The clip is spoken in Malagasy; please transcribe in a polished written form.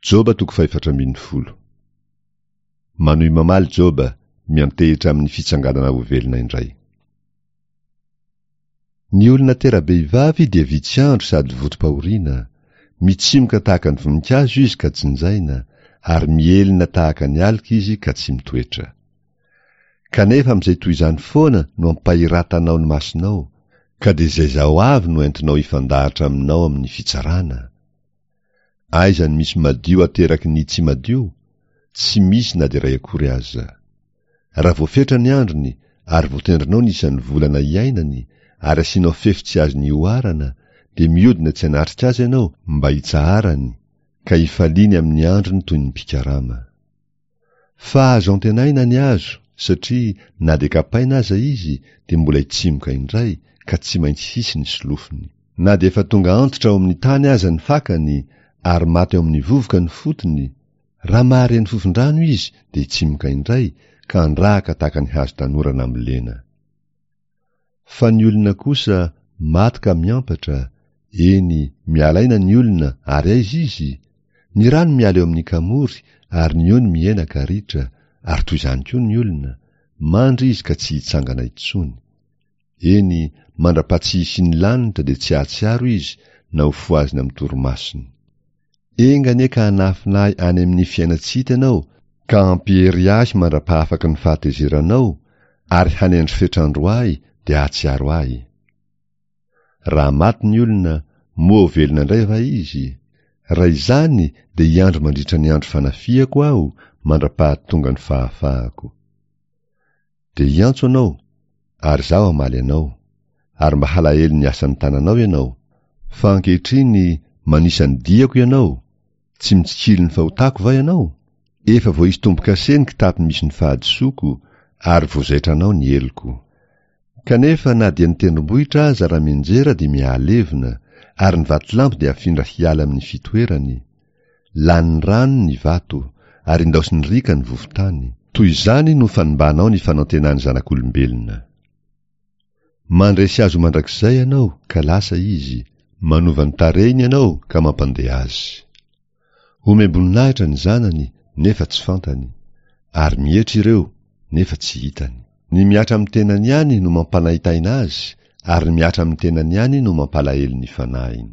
Joba toko fahefatra ambin'ny folo. Manohy mamaly Joba, miantehitra amin'ny fitsanganana ho velona indray. Ny olona tera-behivavy dia vitsy andro sady votom-pahoriana, mitsimoka tahaka ny voninkazo izy ka jinjaina, ary mihelina tahaka ny aloka izy ka tsy mitoetra. Kanefa amin'izay toy izany foana no ampahiratanao ny masonao, ka dia izay izaho avy no entinao hifandahatra aminao amin'ny fitsarana. Aiza ny misy madio ateraky ny tsy madio? Tsy misy na dia iray akory aza. Raha voafetra ny androny ary voatendrinao ny isan'ny volana iainany ary asianao fefy tsy azony ihoarana dia mihodina tsy hanatrika azy ianao mba hitsaharany ka hifaliany amin'ny androny toy ny mpikarama. Fa azo antenaina ny azo satria na dia kapaina aza izy dia mbola hitsimoka indray ka tsy maintsy hisy ny solofony. Na dia efa tonga antitra ao amin'ny tany aza ny fakany ary maty ao amin'ny vovoka ny fotony, raha mahare ny fofon-drano izy dia hitsimoka indray ka handrahaka tahaka ny hazo tanora nambolena. Fa ny olona kosa maty ka miampatra, eny, miala aina ny olona ary aiza izy? Ny rano miala eo amin'ny kamory ary ny ony mihena ka ritra, ary toy izany koa ny olona, mandry izy ka tsy hitsangana intsony. Eny, mandra-paha-tsy hisian'ny lanitra dia tsy hahatsiaro izy na ho fohazina amin'ny torimasony. Enga anie ka hanafina ahy any amin'ny fiainan-tsy hita ianao, ka hampiery ahy mandra-pahafaky ny fahatezeranao, ary hanendry fetr'andro ahy dia hahatsiaro ahy. Raha maty ny olona, moa ho velona indray va izy? Raha izany dia hiandry mandritra ny andro fanafihako aho mandra-pahatonga ny fahafahako. Dia hiantso anao, ary izaho hamaly anao, ary mba halahelo ny asan'ny tananao ianao, fa ankehitriny manisa ny diako ianao, tsy mitsikilo ny fahotako va ianao? Efa voaisy tombo-kase ny kitapo misy ny fahadisoako, ary voazaitranao ny heloko. Kanefa na dia ny tendrombohitra aza raha mianjera dia mihalevona, ary ny vatolampy dia afindra hiala amin'ny fitoerany. Lanin'ny rano ny vato, ary indaosin'ny riaka ny vovo-tany. Toy izany no fanimbanao ny fanantenan'ny zanak'olombelona. Mandresy azy ho mandrakizay ianao, ka lasa izy, manova ny tarehiny ianao ka mampandeha azy. Omem-boninahitra ny zanany, nefa tsy fantany, ary mietry ireo, nefa tsy hitany. Ny mihatra amin'ny tenany ihany no mampanaintaina azy, ary ny mihatra amin'ny tenany ihany no mampalahelo ny fanahiny.